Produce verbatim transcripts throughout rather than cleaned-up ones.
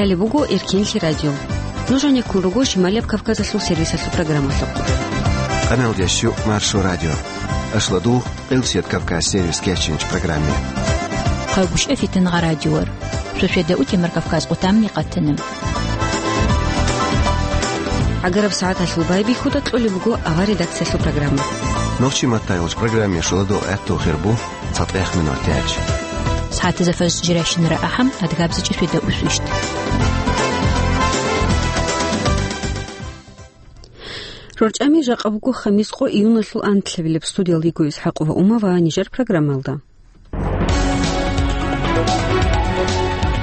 Гьале буго Эркенлъи радио. Нуж гьанеккун руго Шималияб Кавказалъул сервисалъул программалъухъ. Къаналдеш Маршо радио. Ашладу, Къилсият Кавказ сервис кечинч программе. Хъагушев Фитнагъа радиор. Шошеда утемар Кавказ къутамни къатана. ГӀагараб сагӀаталъул байбихьуда кьолеб буго авар редакциялъул программа. Нохчи маттайолч программе шуладо гӀатту хирбу. ЦатӀех минут яч. СагӀатазда фарз жирайщинара ахӀам, адгабзичӀи фида усвищт. РорчӀами жакъа буго хамис къо июналъул анлъабилеб. Студиялда йиго ИсхӀакъ ва Ума ва нижер программалда.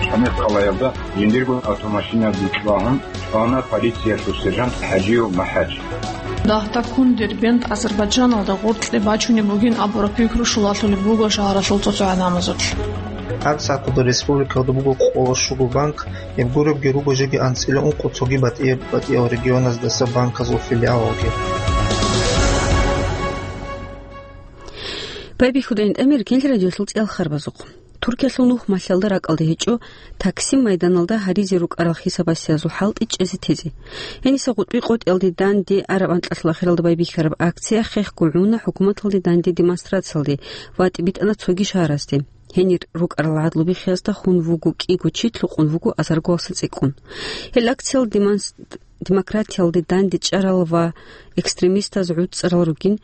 Шамил къалаялда жиндирго автомашина бичӀчӀвагьун чӀвана полициялъул сержант ХӀажиев МахӀач. Дагьдаккун Дербент Азербайджаналда гъоркье бачунеб бугин абураб пикру щулалъулеб буго шагьаралъул цоцогӀанамазулъ. ГьабсагӀаталда республикалда буго къоло щуго банк, гьеб гуребги руго жеги анцӀила ункъо цоги батӀияб-батӀиял регионаздаса банказул филиалалги. Байбихьуда ГьинтӀамир кинлъи радиолъул цӀел харбазухъ. Туркиялъул нух малъалда ракӀалде гьечӀо Таксим майданалда гьаризе рукӀарал хисабасиязул хӀалтӀи чӀезе тезе. Гьениса гъутӀби къотӀиялде данде араб анкьалъул ахиралда байбихьараб акция хехго гӀуна хӀукуматалде данде демонстрациялде ва тӀибитӀана цоги шагьарасде. Гьенир рукӀарал гӀадлу биххиязда хун вуго кӀиго чи, лъукъун вуго азарго валса цӀикӀкӀун. Гьел акциял демонс-, демократиялде данде чӀарал ва экстремистаз гӀуцӀарал ругин,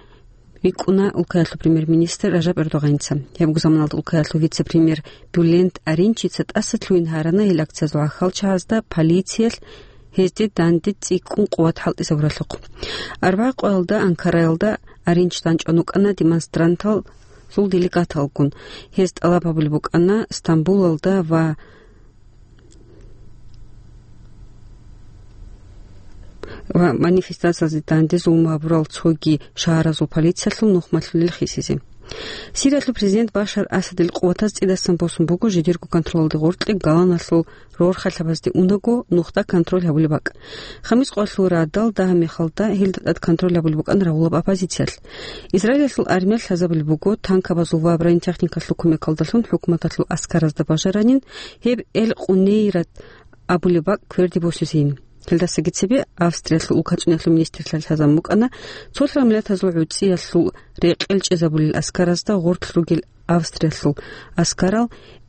рикӀкӀуна улкаялъул премьер-министр Ражаб Эрдогъаница. Гьебго заманалда улкаялъул вице-премьер Бюлент Аринчица тӀаса лъугьин гьарана гьел акциязул гӀахьалчагӀазда полициялъ гьезде данде цӀикӀкӀун къуват хӀалтӀизабуралъухъ. Арбагъ къоялда Анкараялда Аринч данчӀван вукӀана демонстрантазул делегаталгун. Гьез тӀалаб гьабулеб букӀана Стамбулалда ва ва манифестациялде данде зулму гьабурал цоги шагьаразул полициялъул нухмалъулел хисизе. Сириялъул президент Башар Асадил къуватаз цӀидасан босун буго жидерго контролалде гъоркье Голаналъул рорхалъабазде унаго нухда контроль гьабулеб бакӀ. Хамис къоялъул радал дагьаб мехалда гьелда тӀад контроль гьабулеб букӀана рагъулаб оппозициялъ. Израилалъул армиялъ лъазабулеб буго танкабазул ва бронетехникалъул кумекалдалъун хӀукуматалъул аскаразда бажаранин гьеб Эл-Къунейрат абулеб бакӀ кверде босизейин. Гьелдасаги цебе Австриялъул улкацӀуниялъул министрлъи лъазабун букӀана цолъал миллатазул гӀуцӀиялъул рекъел чӀезабулел аскаразда гъорлъ ругел Австриялъул аскарал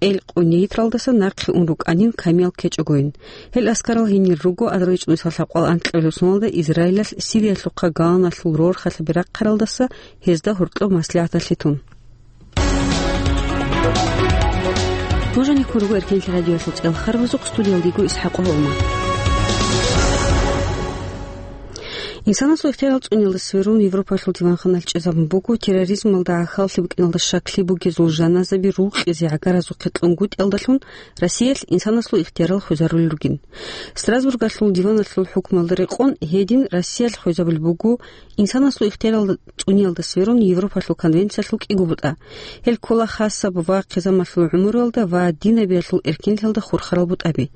Эл-Къунейтралдаса нахъе ун рукӀанин камиял ккечӀогойин. Гьел аскарал гьенир руго азарго чӀужугӀадаго лъабкъоялда анкьабилеб соналда Израилалъ Сириялъухъа Голаналъул рорхалъаби рахъаралдаса гьезда гьоркьоб маслигӀаталъе тун. Нуж гьанеккун руго Эркенлъи радиоялъул цӀел харбазухъ, студиялда йиго ИсхӀакъ ва Ума. Инсанасул ихтиярал цӀуниялда сверун Европалъул диванханалъ чӀезабун буго терроризмалда гӀахьаллъи букӀиналда щаклъи бугезул жаназаби рукъизе гӀагаразухъе кьунгутӀиялдалъун Россиялъ инсанасул ихтиярал хвезарулел ругин. Страсбургалъул диваналъул хӀукмуялда рекъон гьедин Россиялъ хвезабулеб буго инсанасул ихтиярал цӀуниялда сверун Европалъул конвенциялъул кӀиго бутӀа. Гьел ккола хасаб ва хъизамалъул гӀумруялда ва динабиялъул эркинлъиялда хурхарал бутӀаби.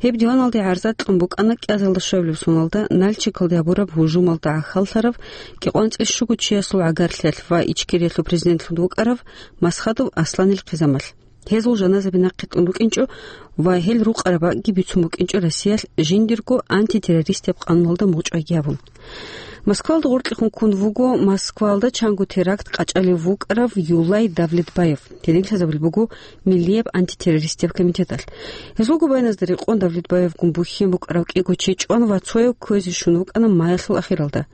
Гьеб диваналде гӀарза кьун букӀана кӀиазалда щвабилеб соналда Нальчикалде гьабураб гьужумалда гӀахьаллъарав кӀикъоялда цӀикӀкӀун щуго чиясул гӀагарлъиялъ ва Ичкериялъул президентлъун вукӀарав Масхадов Асланил хъизамалъ. Гьезул жаназаби нахъе кьун рукӀинчӀо ва гьел рукъараб бакӀги бицун букӀинчӀо Россиялъ жиндирго антитеррористияб къануналда мугъчӀвайги гьабун. Москвалда гъоркьехун ккун вуго Москвалда чанго теракт къачӀалев вукӀарав Юлай Давлетбаев. Гьедин лъазабулеб буго Миллияб антитеррористияб комитеталъ. Гьезулго байназда рекъон Давлетбаевгун бухьен букӀарав кӀиго чи чӀван ва цояв кквезе щун вукӀана маялъул ахиралда.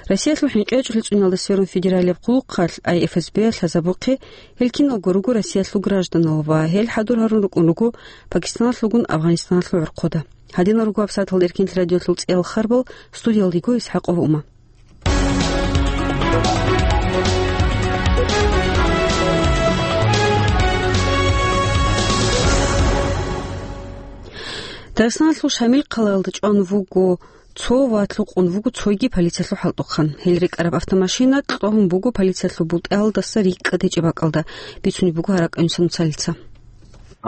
Россиялъул хӀинкъичӀлъи цӀуниялда сверун федералияб хъулухъалъ, ай эф эс бе-алъ лъазабухъе, гьел киналго руго Россиялъул гражданал ва гьел хӀадур гьарун рукӀун руго Пакистаналъулгун Афганистаналъул гӀорхъода. Гьадинал руго гьабсагӀаталда Эркенлъи радиоялъул цӀел харбал, студиялда йиго ИсхӀакъ ва Ума. Дагъистаналъул Шамил хъалаялда чӀван вуго цо ва лъукъун вуго цоги полициялъул хӀалтӀухъан. Гьел рекӀараб автомашина кьогьун буго полициялъул бутӀаялдаса рикӀкӀад гьечӀеб бакӀалда, бицунеб буго гьаракь Инсан Цалица.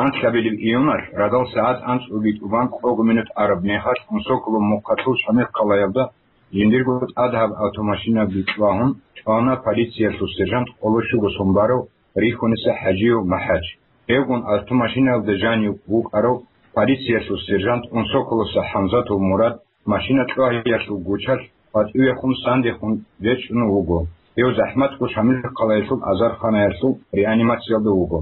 Анлъабилеб июналъ радал сагӀат анцӀгоги тӀубан кӀого минут араб мехалъ Мусоковал мухъалъул Шамил хъалаялда жиндирго тӀадаб автомашина бичӀчӀвагьун чӀвана полициялъул сержант къоло щуго сон барав Рихьуниса ХӀажиев МахӀач. Гьевгун автомашинаялда жанив вукӀарав полициялъул сержант Унсоколоса ХӀамзатов Мурад машина кьвагьиялъул гучалъ къватӀивехун сандехун речӀчӀун вуго. Гьев захӀматго Шамилхъалаялъул азарханаялъул реанимациялда вуго.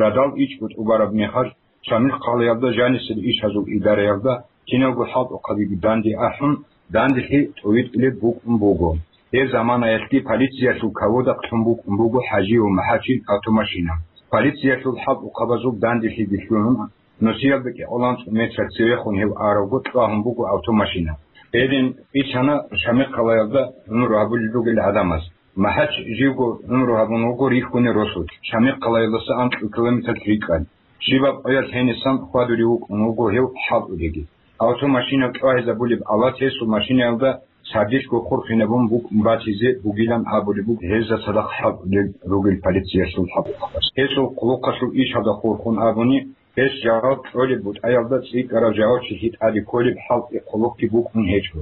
Радал ичӀго тӀубараб мехалъ, Шамилхъалаялда жанисел ишазул идараялда киналго хӀалтӀухъабиги данде ахӀун, данделъи тӀовитӀулеб букӀун буго. Гьеб заманаялъги полициялъул каводахълъун букӀун буго ХӀажи ва МахӀачил автомашина. Полициялъул хӀалтӀухъабазул данделъиги лъугьун, нусиялда кӀикъоялда цӀу метр цевехун гьев аравго кьвагьун буго автомашина. Гьедин бицана Шамилхъалаялда гӀумру гьабулел ругел гӀадамаз. МахӀач живго гӀумру гьабун вуго рихьунел росулъ, Шамилхъалаялдаса анкьго километр рикӀкӀад. Щибаб къоялъ гьенисан хьвадулев вукӀун вуго гьев хӀалтӀулеги. Автомашина кьвагьизабулеб алат гьесул машинаялда сардилъго хурхинабун букӀун батизе бугилан абулеб буго гьезда цадахъ хӀалтӀулел ругел полициялъул хӀалтӀухъабаз. Гьесул хъулухъалъул ишалда хурхун абуни, гьес жаваб кьолеб бутӀаялда цӀикӀкӀарав жавабчилъи тӀаде кколеб хӀалтӀи хъулухъги букӀун гьечӀо,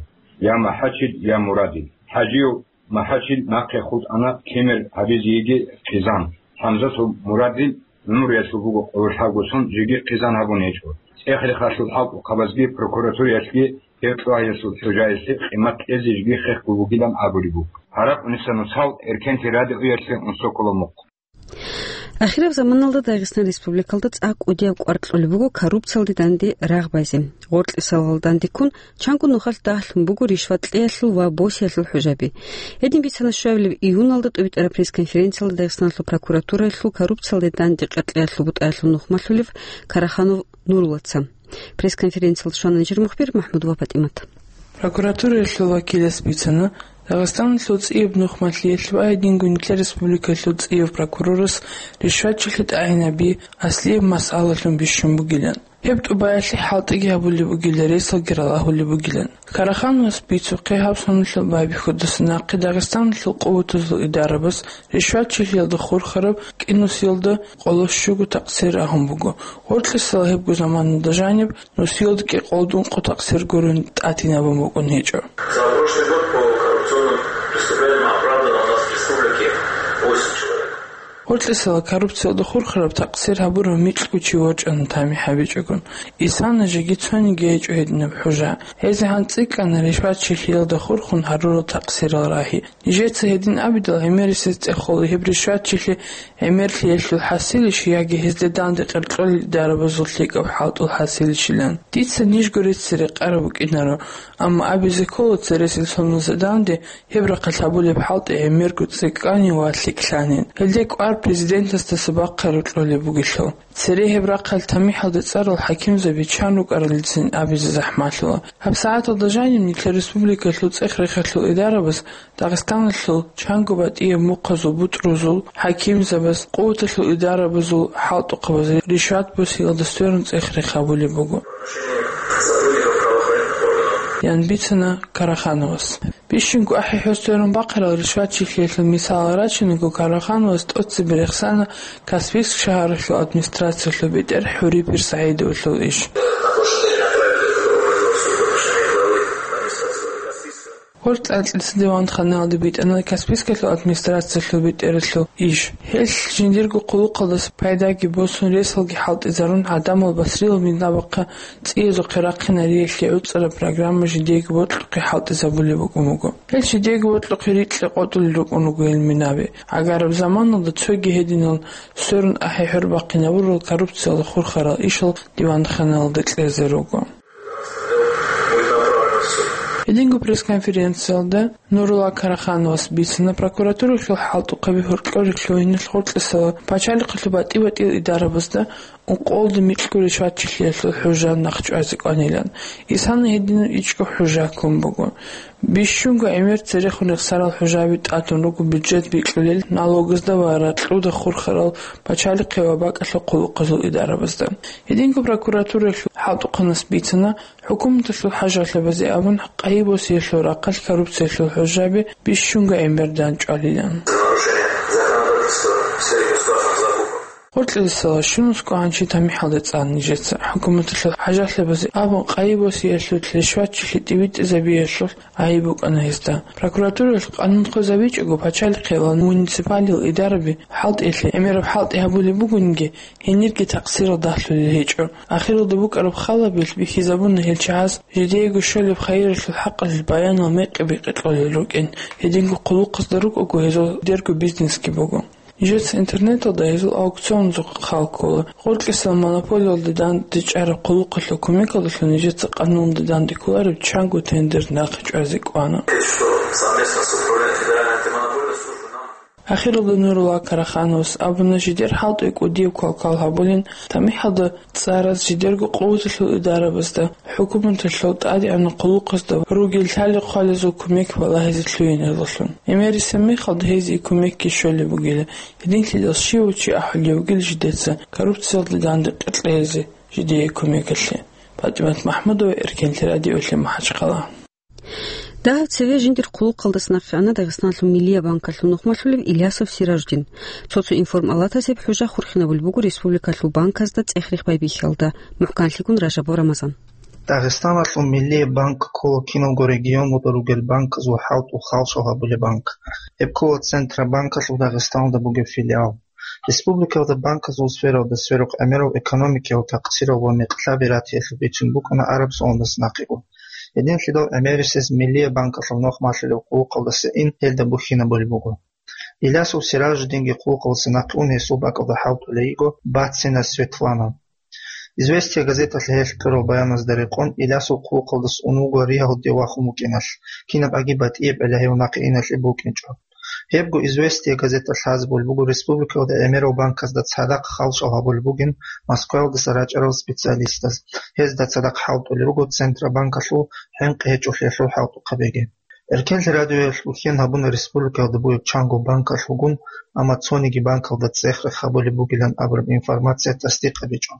я МахӀачил, я Мурадил. ХӀажияв МахӀачил нахъе хутӀана кемер гьабизеги хъизан. ХӀамзатов Мурадил гӀумруялъул буго къоло лъабго сон, жеги хъизан гьабун гьечӀо. ЦӀех-рехалъул хӀалтӀухъабазги прокуратураялъги гьев кьвагьиялъул хӀужаялъе къимат кьезе жеги хехго бугилан абулеб буго. Гьаракь Унисанусал, Эркен телерадиоялъе Унсоколо мухъ. Ахираб заманалда Дагъистан Республикалда цӀакъ кӀудияб кӀвар кьолеб буго коррупциялде данде рагъ базе. Гъоркьисалал данде ккун, чанго нухалъ дагьлъун буго ришват кьеялъул ва босиялъул хӀужаби. Гьедин бицана щвабилеб июналда тӀубитӀараб пресс-конференциялда Дагъистаналъул прокуратураялъул коррупциялде данде кьеялъул бутӀаялъул нухмалъулев Караханов Нуруллаца. Пресс-конференциялда щвана нижер мухбир МахӀмудова ПатӀимат. Прокуратураялъул вакилас бицана, Дагъистаналъул цӀияб нухмалъиялъ ва гьединго нилъер республикалъул цӀияб прокурорас ришватчилъи тӀагӀинаби аслияб масъалалъун бищун бугилан. Гьеб тӀубаялъе хӀалтӀиги гьабулеб бугилан, ресалги ралагьулеб бугилан. Карахановас бицухъе, гьаб соналъул байбихьудаса нахъе Дагъистаналъул къуватазул идарабаз ришватчилъиялда хурхараб кӀинусиялда къоло щуго такъсир рагьун буго. Гъоркьисал гьебго заманалда жаниб нусиялда кӀикъоялда ункъо такъсир гурун тӀатинабун букӀун гьечӀо. За прошлый год по коррупционным преступлениям оправдано у нас в республике восемь человек. Гъоркьисал коррупциялда хурхараб такъсир гьабурав микьго чи ворчӀана, тамихӀ гьабичӀогун. Исана жеги цониги гьечӀо гьединаб хӀужа. ГьезегӀан цӀикӀкӀана ришватчилъиялда хурхун гьарурал такъсирал рагьи. Нижеца гьедин абидал, гӀемерисез цӀехола гьеб ришватчилъи гӀемерлъиялъул хӀасилищ яги гьезда данде кьеркьолел идарабазул лъикӀаб хӀалтӀул хӀасилищилан. Дица нижго рецц рекъараб букӀинаро, амма абизе ккола цересел соналъ данде гьеб рахъалъ гьабулеб хӀалтӀи гӀемерго цӀикӀкӀанин ва лъикӀлъанин. Гьелде кӀвар президентасдаса бахъараб кьолеб бугелъул. Цере гьеб рахъалъ тамихӀалда цӀарал хӀакимзаби чан рукӀаралдецин абизе захӀмалъула. ГьабсагӀаталда жаниб нилъер республикалъул цӀех-рехалъул идарабаз Дагъистаналъул чанго батӀияб мухъазул бутӀрузул хӀакимзабаз, къуваталъул идарабазул хӀалтӀухъабаз ришват босиялда сверун цӀех-рех гьабулеб буго, ян бицана Карахановас. Бищунго ахӀи-хӀур сверун бахъарал ришватчилъиялъул мисалал рачунего, Карахановас тӀоцебе рехсана Каспийск шагьаралъул администрациялъул бетӀер ХӀурипир СагӀидовалъул иш. Гьоркьа анцӀила диванханалде битӀана Каспийскалъул администрациялъул бетӀералъул иш. Гьелъ жиндирго хъулухъалдаса пайдаги босун, ресалги хӀалтӀизарун, гӀадамал басрилал минабахъа цӀиязухъе рахъинариялъе гӀуцӀараб программа жидеего бокьухъе хӀалтӀизабулеб букӀун буго. Гьел жидеего бокьухъе рикье къотӀулел рукӀун руго гьел минаби. Гьагараб заманалда цоги гьединал сверун ахӀи-хӀур бахъинабурал коррупциялда хурхарал ишал диванханалда кьезе руго. Гьединго пресс-конференциялда Нурулла Карахановас бицана, прокуратуралъул хӀалтӀухъаби гьоркьоре лъугьиналъ гъоркьисала пачалихъалъул батӀи-батӀиял идарабазда ункъоялда микьго ришватчилъиялъул хӀужа нахъчӀвазе кӀванилан. Исана гьединаб ичӀго хӀужа ккун буго. Бищунго гӀемер церехун рехсарал хӀужаби тӀадун руго бюджет бикьулел, налогазда ва ракьуда хурхарал пачалихъе ва бакӀалъул хъулухъазул идарабазда. Гьединго прокуратуралъул хӀалтӀухъанас бицана, ХӀукуматалъул хӀажалъабазе абун, къайи босиялъул рахъалъ коррупциялъул хӀужаби бищунго гӀемер данчӀвалилан. Гъоркьисалда щунусго гӀанчи тамихӀалда цӀана нижеца. ХӀукуматалъул хӀажалъабазе абун къайи босиялъулъ, ришватчилъи тӀибитӀизабиялъулъ гӀайиб букӀана гьезда. Прокуратураялъ къанун хвезабичӀого, пачалихъе ва муниципалил идараби хӀалтӀиялъе гӀемераб хӀалтӀи гьабулеб бугониги, гьенирги такъсирал дагьлъулел гьечӀо. Ахиралда букӀараб халабилъ бихьизабуна гьел чагӀаз жидеего щолеб хайиралъул хӀакъалъулъ баянал мекъи-бекъи кьолел рукӀин, гьединго хъулухъазда рукӀого гьезул дерго бизнесги буго. Нижеца интернеталда гьезул аукционазухъе хал ккола. Гъоркьисал монополиялда дандечӀараб хъулухъалъул кумекалдалъун нижеца къануналда данде кколареб чанго тендер нахъе чӀвазе кӀвана. Ахиралда Нурулла Карахановас абуна, жидер хӀалтӀи кӀудияб квалквал гьабулин, тамихӀалда цӀараз жидерго къуваталъул идарабазда, хӀукуматалъул тӀадегӀанав хъулухъазда ругел лъали-хъвалазул кумек балагьизе лъугьиналдалъун. ГӀемерисеб мехалда гьезие кумекги щолеб бугила, гьединлъидал щивав чи ахӀулев вугил жидеца коррупциялда данде кьезе жидее кумекалъе. ПатӀимат МахӀмудова, Эркенлъи радиоялъе МахӀачхъала. Дагьаб цеве жиндир хъулухъалдаса нахъе ана Дагъистаналъул Миллиябанкалъул нухмалъулев Илясов Сираждин. Цо-цо информалатаз гьеб хӀужа хурхинабулеб буго республикалъул банказда цӀех-рех байбихьиялда. МухӀканлъигун Ражабов Рамазан. Дагъистаналъул Миллиябанк ккола киналго регионалда ругел банказул хӀалтӀул халшал гьабулеб банк. Гьеб ккола Центробанкалъул Дагъистаналда бугеб филиал. Республикалда банказул сфералда сверухъ гӀемерал экономикиял такъсирал ва мекълъаби ратиялъул бицун букӀана араб соналдаса нахъего. Гьединлъидал гӀемерисез Миллиябанкалъул нухмалъулев хъулухъалдаса ин гьелда бухьинабулеб буго. Илясов Сираждинги хъулухъалдаса нахъе ун гьесул бакӀалда хӀалтӀулей йиго Бацина Светлана. «Известия» газеталъ гьелъ кьурал баяназда рекъон, Илясов хъулухъалдаса ун вуго РИА-алде вахун вукӀиналъ, кинаб аги батӀияб гӀеллагьев нахъе иналъе букӀинчӀо. Гьебго «Известия» газеталъ лъазабулеб буго республикалда гӀемерал банказда цадахъ халшал гьабулеб бугин Москваялдаса рачӀарал специалистаз. Гьезда цадахъ хӀалтӀулел руго Центробанкалъул хӀинкъи гьечӀолъиялъул хӀалтӀухъабиги. Эркенлъи радиоялъ бухьен гьабуна республикаялда бугеб чанго банкалъулгун, амма цониги банкалда цӀех-рех гьабулеб бугилан абураб информация тасдикъ гьабичӀо.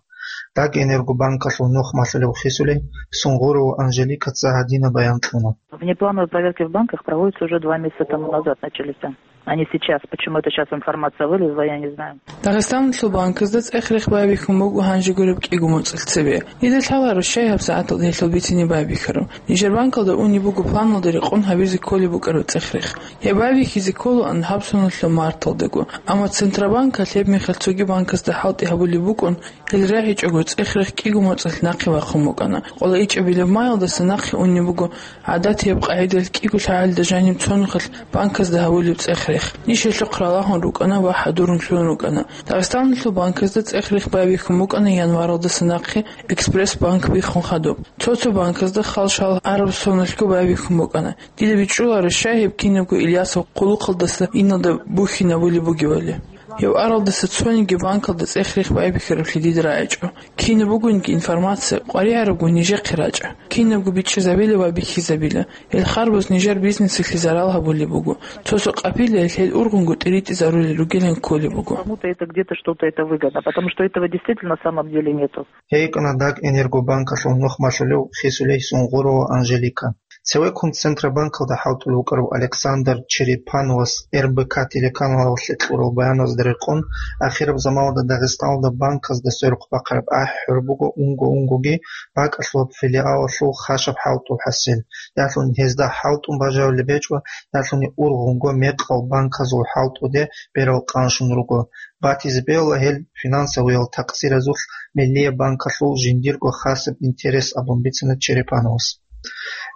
Дагэнергобанкалъул нухмалъулев хисулей Сунгурова Анжеликаца гьадинаб баян кьуна. Внеплановые проверки в банках проводятся уже два месяца тому назад, начались, а не сейчас. Почему это сейчас информация вылезла, я не знаю. Дагъистаналъул банказда цӀех-рех байбихьун буго гьанже гуреб кӀиго моцӀалъ цебе. Дида лъаларо, щай гьабсагӀаталда гьелъул бицине байбихьараб. Нижер банкалда унеб буго планалда рекъон гьабизе кколеб букӀараб цӀех-рех. Гьеб байбихьизе кколаан гьаб соналъул марталдаго. Амма Центробанкалъ гьеб мехалъ цоги банказда хӀалтӀи гьабулеб букӀун, гьел рагӀичӀого цӀех-рех кӀиго моцӀалъ нахъе вахъун букӀана. Къоло ичӀабилеб маялдаса нахъе унеб буго гӀадатияб къагӀидалъ кӀиго лъагӀалда жаниб цо нухалъ банказда гьабулеб цӀех-рех. Ниж гьелъухъ ралагьун рукӀана ва хӀадурун лъугьун рукӀана. Дагъистаналъул банказда цӀех-рех байбихьун букӀана январалдаса нахъе «Экспресс-банк» биххун хадуб. Цо-цо банказда халшал араб соналъго байбихьун букӀана. Дида бичӀчӀуларо, щай гьеб кинабго Ильясов хъулухъалдаса иналда бухьинабулеб бугебали. Гьев аралдаса цониги банкалда цӀех-рех байбихьараблъи дида рагӀичӀо. Кинаб бугониги информация къваригӀарабго нижехъе рачӀа. Кинабго бичӀчӀизабила ва бихьизабила. Гьел харбаз нижер бизнесалъе зарал гьабулеб буго. Цо-цо къапилаялъ гьел ургъунго тӀиритӀизарулел ругилан кколеб буго. Кому-то это где-то что-то это выгодно, потому что этого действительно на самом деле нету. Гьей кӀана Дагэнергобанкалъул нухмалъулев хисулей Сунгурова Анжелика. Цевеккун Центробанкалда хӀалтӀулев вукӀарав Александр Черепановас РБК телеканалалъе кьурал баяназда рекъон, ахираб заманалда Дагъистаналда банказда сверухъ бахъараб ахӀи-хӀур буго унго-унгоги бакӀалъулаб филиалалъул хашаб хӀалтӀул хӀасил, ялъуни гьезда хӀалтӀун бажарулеб гьечӀо, ялъуни ургъунго мекъал банказул хӀалтӀуде берал къанщун руго. Батизе бегьула гьел финансовыял такъсиразулъ Миллиябанкалъул жиндирго хасаб интерес абун бицана Черепановас.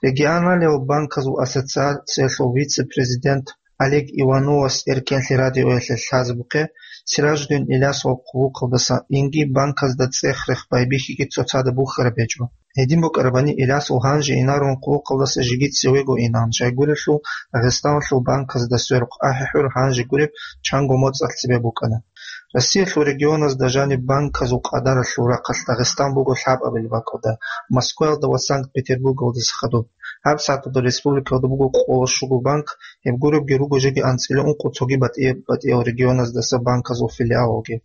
Регионалияб банказул ассоциациялъул вице-президент Олег Ивановас Эркенлъи радиоялъе лъазабухъе, Сираждин Илясов хъулухъалдаса инги банказда цӀех-рех байбихьиги цоцазда бухьараб гьечӀо. Гьедин букӀарабани, Илясов гьанже инарун хъулухъалдаса жеги цевего инан, щайгурелъул Дагъистаналъул банказда сверухъ ахӀи-хӀур гьанже гуреб чанго моцӀалъ цебе букӀана. Россиялъул регионазда жаниб банказул къадаралъул рахъалъ Дагъистан буго лъабабилеб бакӀалда, Москваялда ва Санкт-Петербургалдаса хадуб. ГьабсагӀаталда республикалда буго къоло щуго банк, гьеб гуребги руго жеги анцӀила ункъо цоги батӀи-, батӀиял регионаздаса банказул филиалалги.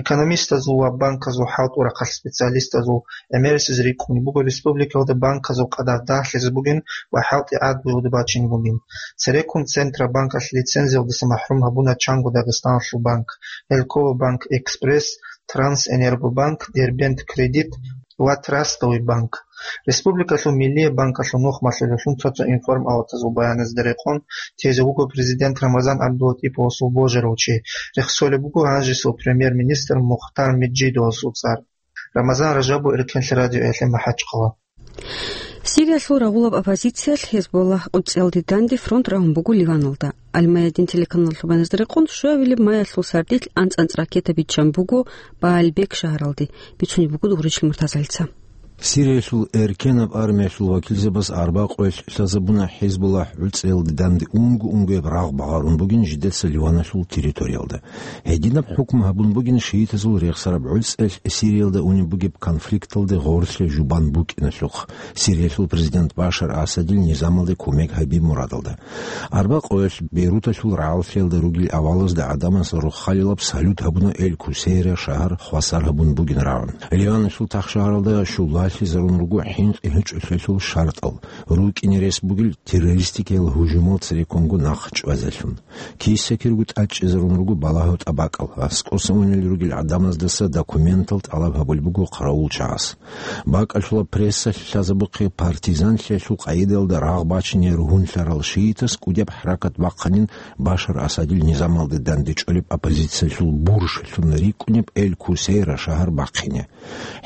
Экономистазул ва банказул хӀалтӀул рахъалъ специалистазул гӀемерисез рикӀкӀунеб буго республикалда банказул къадар дагьлъизе бугин ва хӀалтӀи гӀадлуялда бачине бугин. Цереккун Центробанкалъ лицензиялдаса махӀрум гьабуна Чанго Дагъистаналъул банк, Элькова банк Экспресс, Трансэнергобанк, Дербент Кредит ва Трастовый банк. Республикалъул Миллие банкалъул нухмалъулелъун цо-цо информагьлатазул баяназда рекъон тезе вуго президент Рамазан ГӀабдулатӀиповасул божарав чи. Рехсолеб буго гьанжесул премьер-министр Мухтар Меджидовасул цӀар. Рамазан Ражабов, Эркенлъи радиоялъе МахӀачхъала. Сириялъул рагъулаб оппозициялъ Гьезболлагь гӀуцӀиялде данде фронт рагьун буго Ливаналда. Аль-Майадин телеканалалъул баяназда рекъон, щуабилеб майялъул сардилъ анцӀ-анцӀ ракета биччан буго Баалбек шагьаралде, бицунеб буго Дугъричил Муртазалица. Сириялъул эркенаб армиялъул вакилзабаз арбакъоялъ лъазабуна Гьезболлагь гӀуцӀиялде данде унго-унгояб рагъ багъарун бугин жидеца Ливаналъул территориялда. Гьединаб хӀукму гьабун бугин шиитазул рехсараб гӀуцӀиялъ Сириялда унеб бугеб конфликталде гъорлъе жубан букӀиналъухъ, Сириялъул президент Башар Асадил низамалде кумек гьаби мурадалда. Арбакъоялъ Бейруталъул рагӀаллъиялда ругел авалазда гӀадамаз рохалилаб салют гьабуна Эль-Кусейра шагьар хвасар гьабун бугин рагӀун. Ливаналъул тахшагьаралда щулалъизарун руго хӀинкъи гьечӀолъиялъул шартӀал, рукӀине рес бугел террористикиял гьужумал цереккунго нахъ чӀвазелъун. Киса-кирго тӀадчӀезарун руго балагьу тӀабакӀал, аскӀоса унел ругел гӀадамаздаса документал тӀалаб гьабулеб буго хъаравулчагӀаз. БакӀалъула прессалъ лъазабухъе партизанлъиялъул къагӀидаялда рагъ бачине ругьунлъарал шиитас кӀудияб хӀаракат бахъанин Башар Асадил низамалде дандечӀолеб оппозициялъул буржалъун рикӀкӀунеб Эль-Кусейра шагьар бахъине.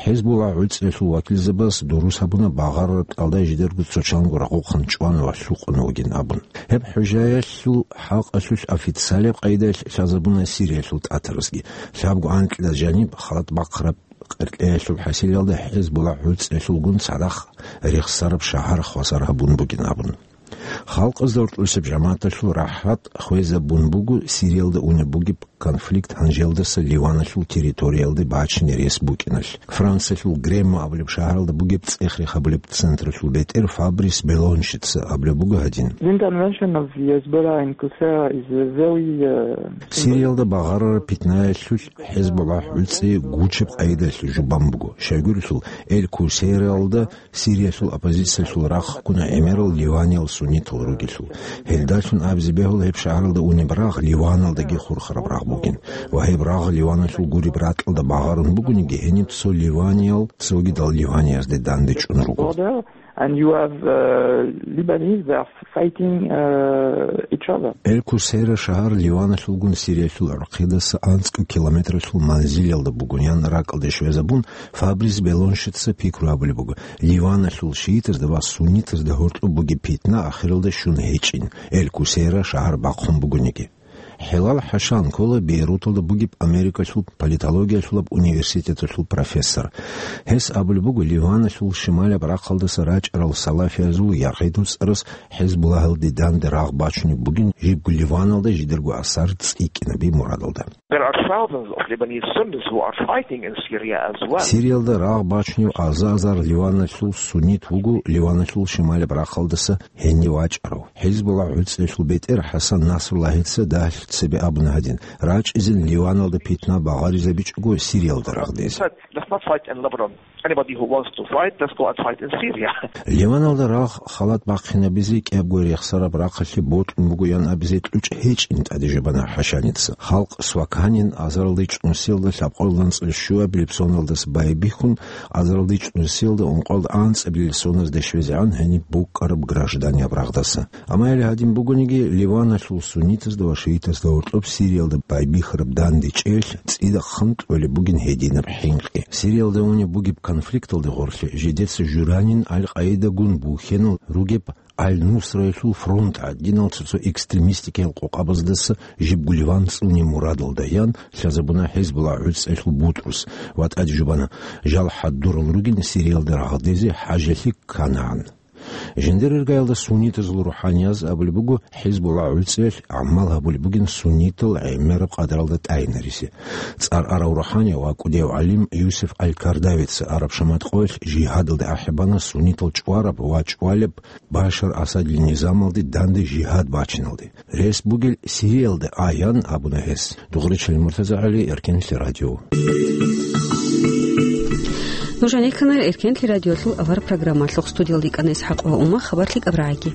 Гьезбуллагь гӀуцӀиялъул вакилзабаз дурус гьабуна багъарараб тӀалда жидерго цо чанго рагъухъан чӀвана ва лъукъун вугин абун. Гьеб хӀужаялъул хӀакъалъулъ официалияб къайдаялъ лъазабуна Сириялъул тӀатаразги. Лъабго анкьида жаниб халат бахъараб къеркьеялъул хӀасилалда Гьезбуллагь гӀуцӀиялъулгун цадахъ рехсараб шагьар хвасар гьабун бугин абун. Халкъазда гьоркьосеб жамагӀаталъул рахӀат хвезабун буго Сириялда унеб бугеб конфликт гьанжелдаса Ливаналъул территориялде бачине рес букӀиналъ. Франциялъул Гремо абулеб шагьаралда бугеб цӀех-рех гьабулеб централъул бетӀер Фабрис Белоншица абулеб буго гьадин. The intervention of the Hezbollah in Qusayra is a very, uh, Сириялда багъарараб питнаялъулъ Гьезбуллагь гӀуцӀи гучеб къайдаялъ жубан буго. Щайгурелъул, Эль-Кусейраялда Сириялъул оппозициялъул рахъ ккуна гӀемерал ливаниял суннитал ругелъул. Гьелдалъун абизе бегьула гьеб шагьаралда унеб рагъ Ливаналдаги хурхараб рагъ бугин. Ва гьеб рагъ Ливаналъул гуреб ракьалда багъарун бугониги, гьениб цо ливаниял цогидал ливаниязде дандечӀун руго. Border, and you have, uh, Lebanese, they are fighting, uh, each other. Эль-Кусейра шагьар Ливаналъулгун Сириялъул гӀурхъидаса анцӀго километралъул манзилалда бугоян ракӀалде щвезабун, Фабрис Белоншица пикру гьабулеб буго, Ливаналъул шиитазда ва суннитазда гьоркьоб бугеб питна ахиралда щун гьечӀин, Эль-Кусейра шагьар бахъун бугониги. Хьелал ХӀашан ккола Бейруталда бугеб Америкалъул политологиялъулаб университеталъул профессор. Гьес абулеб буго, Ливаналъул шималаб рахъалдаса рачӀарал салафиязул ЯгӀид уцӀарас Гьезбуллагьалде данде рагъ бачунеб бугин жибго Ливаналда жидерго асар цӀикӀкӀинаби мурадалда. There are thousands of Lebanese Sunnis who are fighting in Syria as well. Сириялда рагъ бачунев аза-азар Ливаналъул суннит вуго Ливаналъул шималаб рахъалдаса гьенив вачӀарав. Гьезбуллагь гӀуцӀиялъул бетӀер ХӀасан Насруллагьица дагьлъи цебе абуна гьадин, рачӀизин Ливаналда питна багъаризабичӀого Сириялда рагъ дезе. Let's not fight in Lebanon. Anybody who wants to fight, let's go and fight in Syria. Ливаналда рагъ халат бахъинабизе кӀиябго рехсараб рахъалъе бокьун бугоян абизе кьучӀ гьечӀин тӀаде жубана ХӀашаница. Халкъ сваканин азаралда чӀунусиялда лъабкъоялда анцӀила щуабилеб соналдаса байбихьун, азаралда чӀунусиялда ункъоялда анцӀабилеб соназде щвезегӀан гьениб букӀараб гражданияб рагъдаса. Амма гьеле гьадин бугониги, Ливаналъул суннитазда ва шиитазда гьоркьоб Сириялда байбихьараб дандечӀеялъ цӀидахъан кьолеб бугин гьединаб хӀинкъи. Сириялда унеб бугеб конфликталде гъорлъе жидеца журанин Аль-Къаидагун бухьенал ругеб Аль-Нусраялъул фронт гӀадинал цо-цо экстремистикиял къокъабаздаса жибго Ливан цӀуне мурадалда ян лъазабуна Гьезбуллагь гӀуцӀиялъул бутӀрус ва тӀаде жубана, жал хӀадурал ругин Сириялда рагъ дезе хӀажалъи кканагӀан. Жиндир иргаялда суннитазул рухӀанияз абулеб буго, ХӀизбулла гӀуцӀиялъ гӀамал гьабулеб бугин суннитал гӀемераб къадаралда тӀайинаризе. ЦӀар арав рухӀани ва кӀудияв гӀалим Юсеф аль-Кардавица Араб шаматкъоялъ жигьадалде ахӀи бана суннитал чӀвараб ва чӀвалеб Башар Асадил низамалде данде жигьад бачиналде. Рес бугел Сириялда аян абуна гьес. Дугъричил МуртазагӀали, Эркенлъи радио. Нуж гьанихьана Эркенлъи радиолъул авар программалъухъ, студиялда йикӀана ИсхӀакъ ва Ума. Хабар лъикӀаб рагӀаги.